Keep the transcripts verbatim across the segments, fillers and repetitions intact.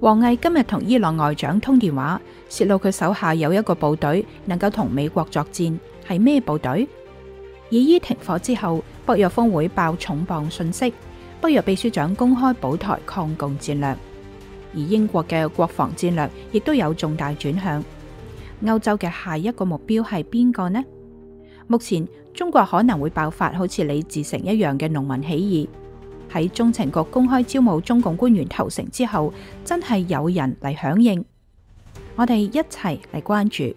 王毅今日同伊朗外長通電話，洩露佢手下有一個部隊能夠同美國作戰，係咩部隊？以伊停火之後，北約峰會爆重磅訊息，北約秘書長公開保台抗共戰略，而英國嘅國防戰略亦都有重大轉向。歐洲嘅下一個目標係邊個呢？目前中國可能會爆發好似李自成一樣嘅農民起義。喺中情局公開招募中共官員投誠之後，真係有人嚟響應，我哋一齊嚟關注。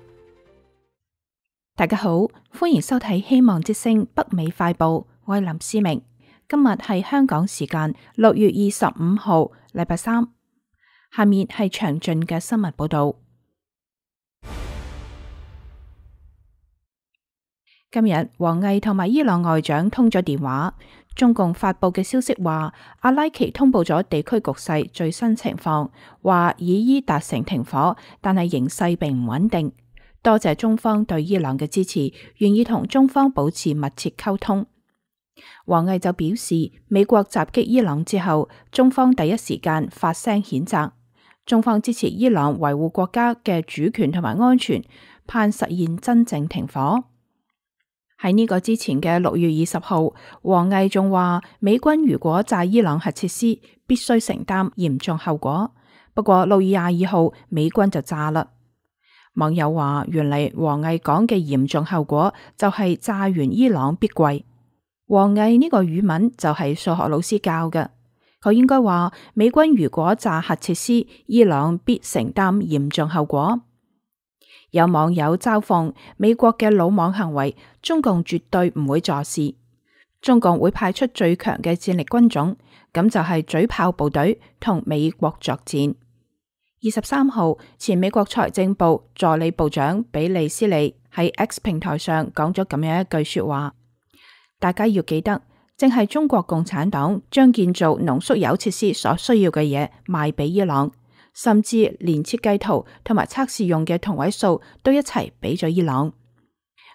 大家好，歡迎收睇希望之聲北美快報，我係林思明。今日係香港時間六月二十五號，禮拜三。下面係詳盡嘅新聞報道。今日王毅同埋伊朗外長通咗電話。中共發佈嘅消息話，阿拉奇通報咗地區局勢最新情況，話以伊達成停火，但係形勢並唔穩定。多謝中方對伊朗嘅支持，願意同中方保持密切溝通。王毅就表示，美國襲擊伊朗之後，中方第一時間發聲譴責，中方支持伊朗維護國家嘅主權同埋安全，盼實現真正停火。喺呢個之前嘅六月二十號，王毅仲話美軍如果炸伊朗核設施，必須承擔嚴重後果。不過六月廿二號，美軍就炸啦。網友話，原嚟王毅講嘅嚴重後果就係炸完伊朗必跪。王毅呢個語文就係數學老師教嘅，佢應該話美軍如果炸核設施，伊朗必承擔嚴重後果。有網友嘲諷美國嘅魯莽行為，中共絕對唔會坐視，中共會派出最強嘅戰力軍種，咁就係嘴炮部隊同美國作戰。二十三號，前美國財政部助理部長比利斯利喺 X 平台上講咗咁樣一句說話，大家要記得，正係中國共產黨將建造濃縮鈾設施所需要嘅嘢賣俾伊朗。甚至連設計圖同埋測試用嘅同位素都一齊俾咗伊朗。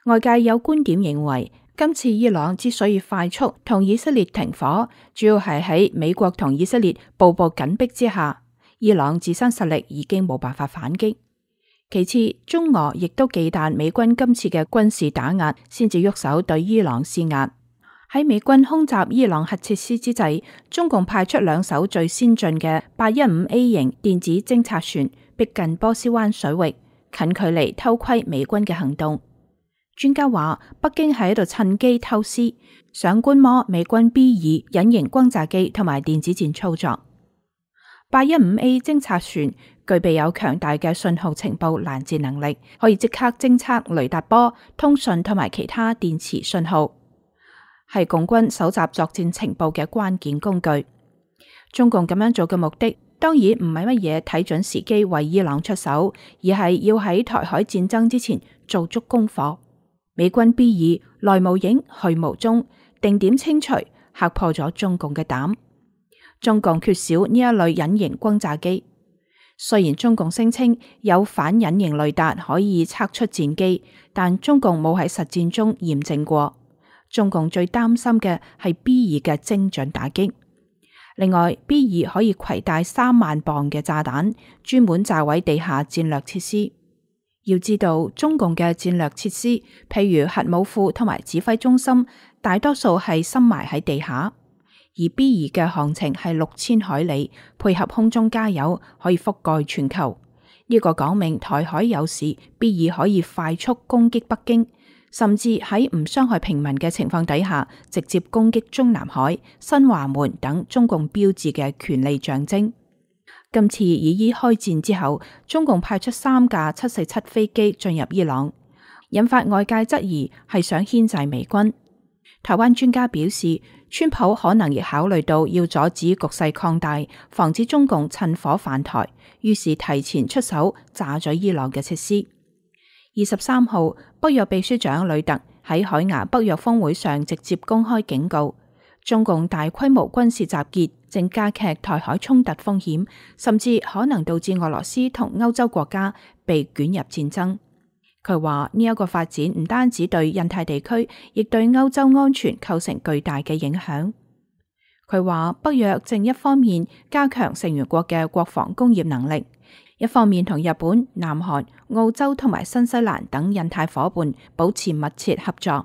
外界有觀點認為，今次伊朗之所以快速同以色列停火，主要係喺美國同以色列步步緊逼之下，伊朗自身實力已經冇辦法反擊。其次，中俄亦都忌憚美軍今次嘅軍事打壓，先至喐手對伊朗施壓。喺美軍空襲伊朗核設施之際，中共派出兩艘最先進嘅八一五 A 型電子偵察船，逼近波斯灣水域，近距離偷窺美軍嘅行動。專家話，北京喺度趁機偷師，想觀摩美軍 B 二隱形轟炸機同埋電子戰操作。八一五 A 偵察船具備有強大嘅信號情報攔截能力，可以即刻偵測雷達波、通訊同埋其他電磁信號，係共軍搜集作戰情報嘅關鍵工具。中共咁樣做嘅目的，當然唔係乜嘢睇準時機為伊朗出手，而係要喺台海戰爭之前做足功課。美軍 B 二來無影去無蹤，定點清除，嚇破咗中共嘅膽。中共缺少呢一類隱形轟炸機，雖然中共聲稱有反隱形雷達可以測出戰機，但中共冇喺實戰中驗證過。中共最擔心嘅係 B 二嘅精準打擊。另外 ，B 二可以攜帶三萬磅嘅炸彈，專門炸毀地下戰略設施。要知道，中共嘅戰略設施，譬如核武庫同埋指揮中心，大多數係深埋喺地下，而 B 二嘅航程係六千海里，配合空中加油，可以覆蓋全球。呢、這個講明台海有事 ，B 二可以快速攻擊北京。甚至喺唔傷害平民嘅情況底下，直接攻擊中南海、新華門等中共標誌嘅權力象徵。今次以伊開戰之後，中共派出三架七四七飛機進入伊朗，引發外界質疑係想牽制美軍。台灣專家表示，川普可能亦考慮到要阻止局勢擴大，防止中共趁火犯台，於是提前出手炸咗伊朗嘅設施。二十三號，北約秘書長呂特喺海牙北約峰會上直接公開警告，中共大規模軍事集結正加劇台海衝突風險，甚至可能導致俄羅斯同歐洲國家被捲入戰爭。佢話呢一個發展唔單止對印太地區，亦對歐洲安全構成巨大嘅影響。佢話北約正一方面加強成員國嘅國防工業能力，一方面同日本、南韓、澳洲同埋新西蘭等印太夥伴保持密切合作。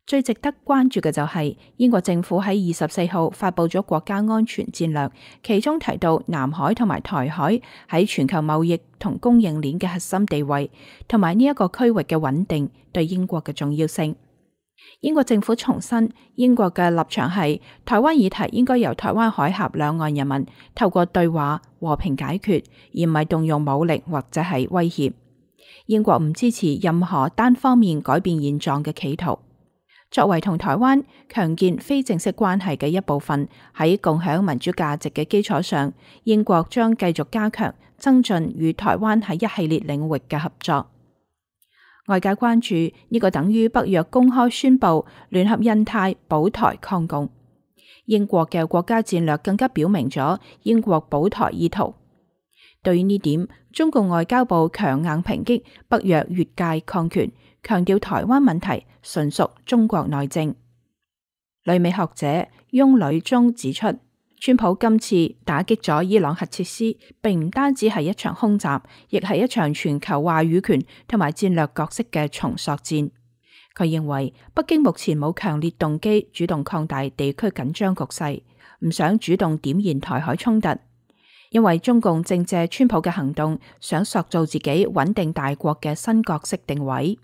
最值得關注嘅就係英國政府喺二十四號發佈咗國家安全戰略，其中提到南海同埋台海喺全球貿易同供應鏈嘅核心地位，同埋呢一個區域嘅穩定對英國嘅重要性。英國政府重申，英國嘅立場係台灣議題應該由台灣海峽兩岸人民透過對話和平解決，而唔係動用武力或者係威脅。英國唔支持任何單方面改變現狀嘅企圖。作為同台灣強健非正式關係嘅一部分，喺共享民主價值嘅基礎上，英國將繼續加強增進與台灣喺一系列領域嘅合作。外界關注呢個等於北約公開宣布聯合印太保台抗共。英國嘅國家戰略更加表明咗英國保台意圖。對於呢點，中共外交部強硬抨擊北約越界抗權，強調台灣問題純屬中國內政。旅美學者翁履中指出，川普今次打擊咗伊朗核設施，並唔單止係一場空襲，亦係一場全球話語權同埋戰略角色嘅重塑戰。佢認為北京目前冇強烈動機主動擴大地區緊張局勢，唔想主動點燃台海衝突，因為中共正借川普嘅行動，想塑造自己穩定大國嘅新角色定位。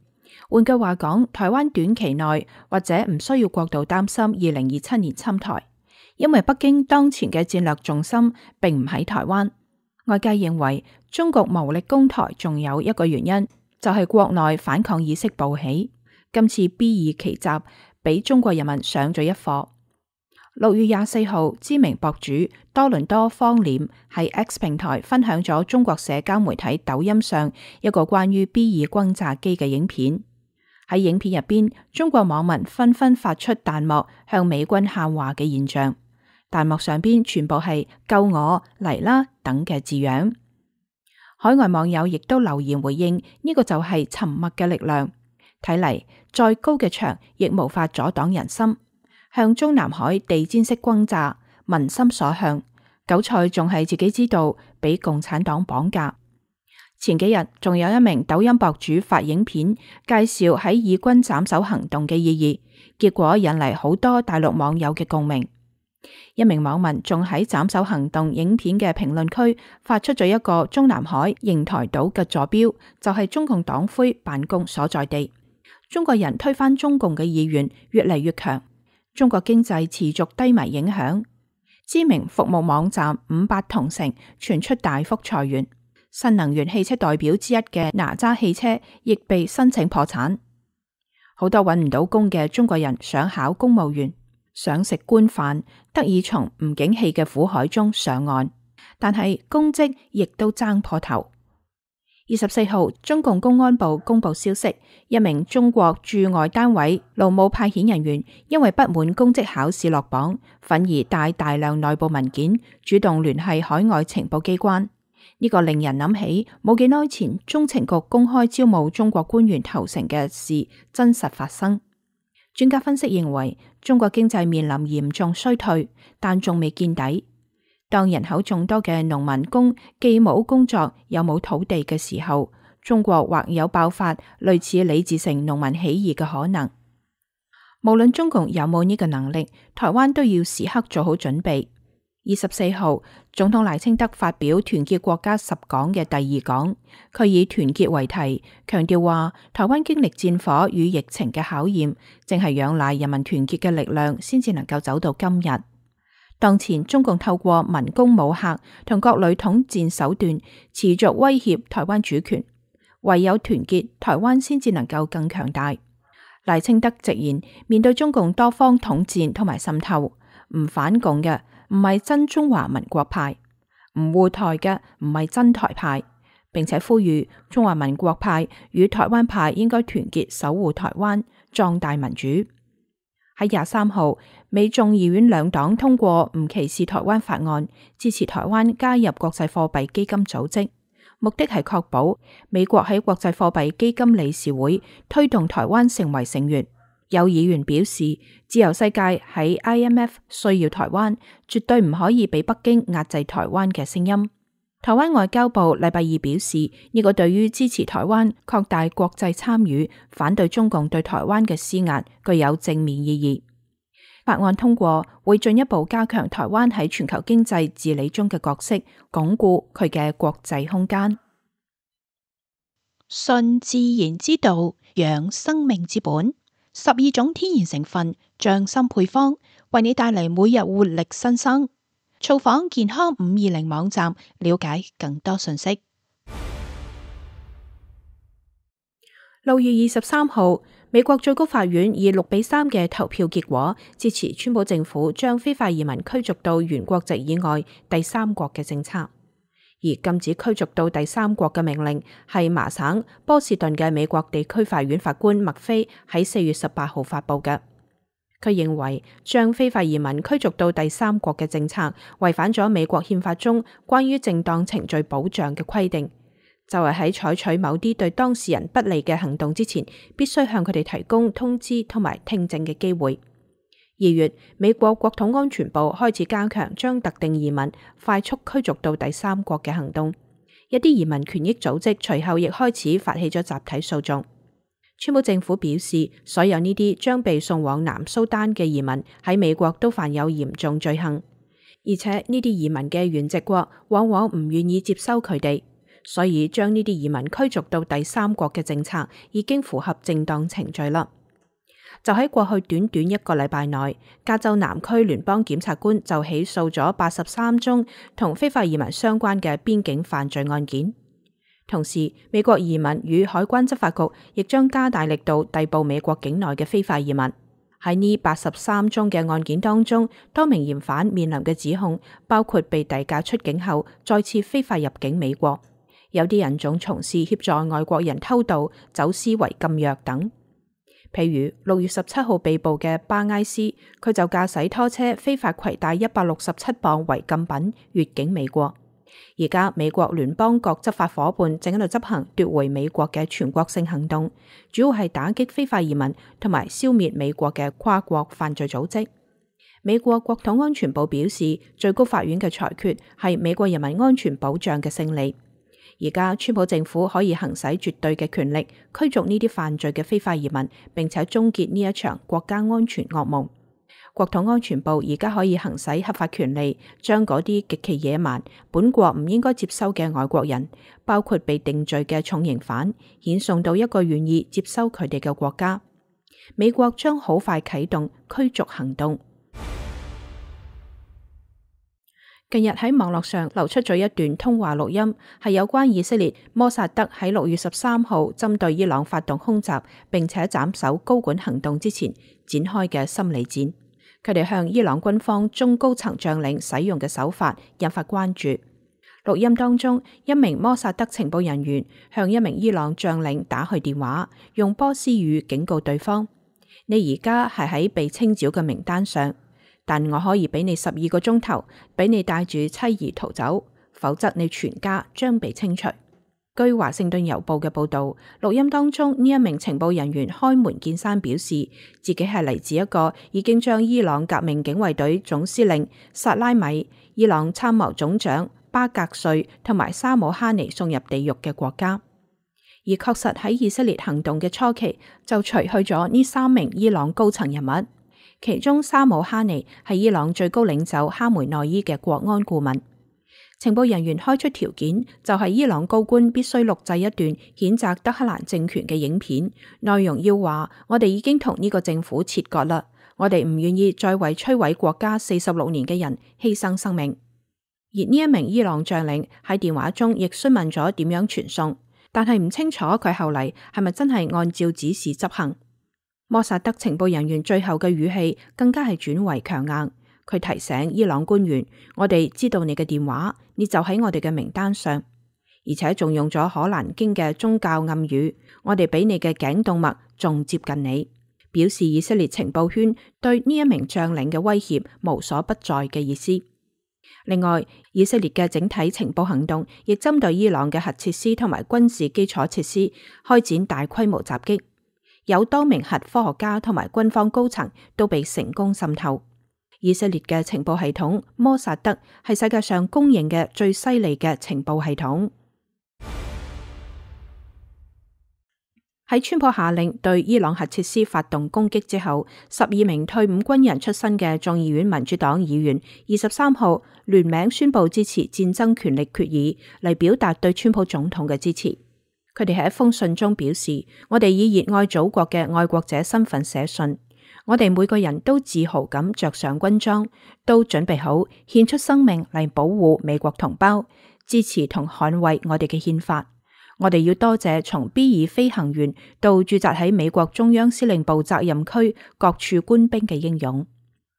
換句話講，台灣短期內或者唔需要過度擔心二零二七年侵台，因為北京當前嘅戰略重心並唔喺台灣。外界認為中國無力攻台，仲有一個原因就係國內反抗意識暴起。今次 B 二奇襲俾中國人民上咗一課。六月廿四號，知名博主多倫多方臉喺 X 平台分享咗中國社交媒體抖音上一個關於 B 二轟炸機嘅影片。喺影片入邊，中國網民紛紛發出彈幕向美軍喊話嘅現象，彈幕上邊全部係救我嚟啦等嘅字樣。海外網友亦都留言回應，呢個就係沉默嘅力量。睇嚟再高嘅牆亦無法阻擋人心。向中南海地毯式轟炸，民心所向。韭菜仲係自己知道，俾共產黨綁架。前幾日仲有一名抖音博主發影片介紹喺以軍斬首行動嘅意義，結果引嚟好多大陸網友嘅共鳴。一名網民仲喺斬首行動影片嘅評論區發出咗一個中南海瀛台島嘅坐標，就係中共黨魁辦公所在地。中國人推翻中共嘅意願越嚟越強。中國經濟持續低迷影響，知名服務網站五八同城傳出大幅裁員，新能源汽車代表之一嘅哪吒汽車亦被申請破產。好多揾唔到工嘅中國人想考公務員，想食官飯，得以從唔景氣嘅苦海中上岸，但係公職亦都爭破頭。二十四號，中共公安部公布消息，一名中國駐外單位勞務派遣人員因為不滿公職考試落榜，憤而帶大量內部文件，主動聯繫海外情報機關。呢個令人諗起冇幾耐前中情局公開招募中國官員投誠嘅事真實發生。專家分析認為，中國經濟面臨嚴重衰退，但仲未見底。當人口眾多嘅農民工既冇工作又冇土地嘅時候，中國或有爆發類似李自成農民起義嘅可能。無論中共有冇呢個能力，台灣都要時刻做好準備。二十四號，總統賴清德發表團結國家十講嘅第二講，佢以團結為題，強調話台灣經歷戰火與疫情嘅考驗，正係仰賴人民團結嘅力量，先至能夠走到今日。當前中共透過文攻武嚇同各類統戰手段持續威脅台灣主權，唯有團結，台灣先至能夠更強大。賴清德直言，面對中共多方統戰同埋滲透，唔反共嘅唔係真中華民國派，唔護台嘅唔係真台派，並且呼籲中華民國派與台灣派應該團結守護台灣，壯大民主。喺廿三號，美眾議院兩黨通過唔歧視台灣法案，支持台灣加入國際貨幣基金組織，目的係確保美國喺國際貨幣基金理事會推動台灣成為成員，有議員表示，自由世界喺 I M F 需要台灣，絕對唔可以俾北京壓制台灣嘅聲音。台灣外交部禮拜二表示，呢個對於支持台灣擴大國際參與、反對中共對台灣嘅施壓具有正面意義。法案通過會進一步加強台灣喺全球經濟治理中嘅角色，鞏固佢嘅國際空間。順自然之道，養生命之本，十二種天然成分，匠心配方，為你帶嚟每日活力新生。造訪健康五二零網站，了解更多信息。六月二十三號，美國最高法院以六比三嘅投票結果支持川普政府將非法移民驅逐到原國籍以外第三國嘅政策，而禁止驅逐到第三國嘅命令係麻省波士頓嘅美國地區法院法官麥菲喺四月十八號發布嘅。佢認為將非法移民驅逐到第三國嘅政策違反咗美國憲法中關於正當程序保障嘅規定，就係喺採取某啲對當事人不利嘅行動之前，必須向佢哋提供通知同埋聽證嘅機會。二月，美國國土安全部開始加強將特定移民快速驅逐到第三國嘅行動，一啲移民權益組織隨後亦開始發起咗集體訴訟。川普政府表示，所有呢啲將被送往南蘇丹嘅移民喺美國都犯有嚴重罪行，而且呢啲移民嘅原籍國往往唔願意接收佢哋，所以將呢啲移民驅逐到第三國嘅政策已經符合正當程序啦。就喺過去短短一個禮拜內，加州南區聯邦檢察官就起訴咗八十三宗同非法移民相關嘅邊境犯罪案件。同時，美國移民與海關執法局亦將加大力度逮捕美國境內嘅非法移民。喺呢八十三宗嘅案件當中，多名嫌犯面臨嘅指控包括被遞解出境後再次非法入境美國，有啲人仲從事協助外國人偷渡、走私違禁藥等。譬如六月十七號被捕嘅巴埃斯，佢就駕駛拖車非法攜帶一百六十七磅違禁品越境美國。而家美國聯邦各執法夥伴正喺度執行奪回美國嘅全國性行動，主要係打擊非法移民同埋消滅美國嘅跨國犯罪組織。美國國土安全部表示，最高法院嘅裁決係美國人民安全保障嘅勝利。而家川普政府可以行使絕對嘅權力驅逐呢啲犯罪嘅非法移民，並且終結呢一場國家安全噩夢。國土安全部而家可以行使合法權利，將嗰啲極其野蠻、本國唔應該接收嘅外國人，包括被定罪嘅重刑犯，遣送到一個願意接收佢哋嘅國家。美國將好快啟動驅逐行動。近日喺網絡上流出咗一段通話錄音，係有關以色列摩薩德喺六月十三號針對伊朗發動空襲，並且斬首高管行動之前展開嘅心理戰。佢哋向伊朗軍方中高層將領使用嘅手法引發關注。錄音當中，一名摩薩德情報人員向一名伊朗將領打去電話，用波斯語警告對方：你而家係喺被清剿嘅名單上，但我可以俾你十二個鐘頭，俾你帶住妻兒逃走，否則你全家將被清除。據華盛頓郵報嘅報道，錄音當中呢一名情報人員開門見山表示，自己係嚟自一個已經將伊朗革命警衛隊總司令薩拉米、伊朗參謀總長巴格瑞同埋沙姆哈尼送入地獄嘅國家。而確實喺以色列行動嘅初期，就除去咗呢三名伊朗高層人物，其中沙姆哈尼係伊朗最高領袖哈梅內伊嘅國安顧問。情報人員開出條件，就係伊朗高官必須錄製一段譴責德黑蘭政權嘅影片，內容要話：我哋已經同呢個政府切割啦，我哋唔願意再為摧毀國家四十六年嘅人犧牲生命。而呢一名伊朗將領喺電話中亦詢問咗點樣傳送，但係唔清楚佢後嚟係咪真係按照指示執行。摩薩德情報人員最後嘅語氣更加係轉為強硬。佢提醒伊朗官員：我哋知道你嘅電話，你就喺我哋嘅名單上，而且仲用咗可蘭經嘅宗教暗語，我哋比你嘅頸動脈仲接近你，表示以色列情報圈對呢一名將領嘅威脅無所不在嘅意思。另外，以色列嘅整體情報行動亦針對伊朗嘅核設施同埋軍事基礎設施開展大規模襲擊。有多名核科學家同埋軍方高層都被成功滲透。以色列嘅情報系統摩薩德係世界上公認嘅最犀利嘅情報系統。喺川普下令對伊朗核設施發動攻擊之後，十二名退伍軍人出身嘅眾議院民主黨議員二十三號聯名宣布支持戰爭權利決議，嚟表達對川普總統嘅支持。佢哋喺一封信中表示：我哋以熱愛祖國嘅愛國者身份寫信，我哋每個人都自豪咁着上軍裝，都準備好獻出生命嚟保護美國同胞，支持同捍衛我哋嘅憲法。我哋要多謝從 B 二飛行員到駐紮喺美國中央司令部責任區各處官兵嘅英勇。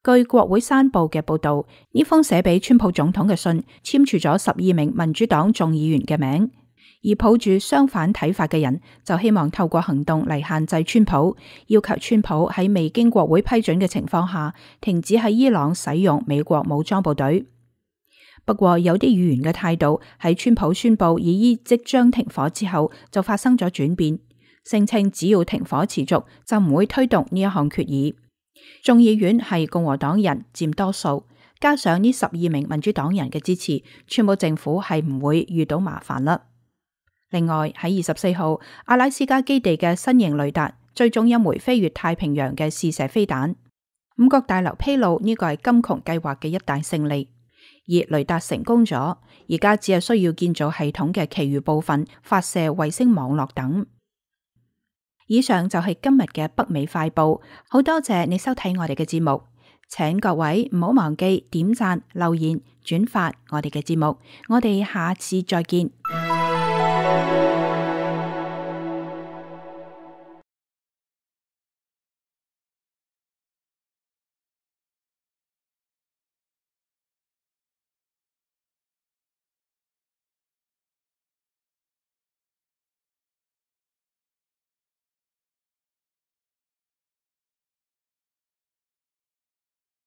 據國會山報嘅報道，呢封寫俾川普總統嘅信簽署咗十二名民主黨眾議員嘅名，而抱住相反睇法嘅人就希望透過行動嚟限制川普，要求川普喺未經國會批准嘅情況下停止喺伊朗使用美國武裝部隊。不過有啲議員嘅態度喺川普宣布以伊即將停火之後就發生咗轉變，聲稱只要停火持續就唔會推動呢一項決議。眾議院係共和黨人佔多數，加上呢十二名民主黨人嘅支持，川普政府係唔會遇到麻煩啦。另外喺二十四號，阿拉斯加基地嘅新型雷達追蹤一枚飛越太平洋嘅試射飛彈。五角大樓披露呢個係金窮計劃嘅一大勝利。而雷達成功咗，而家只係需要建造系統嘅其餘部分，發射衛星網絡等。以上就係今日嘅北美快報，好多謝你收睇我哋嘅節目，請各位唔好忘記點讚、留言、轉發我哋嘅節目，我哋下次再見。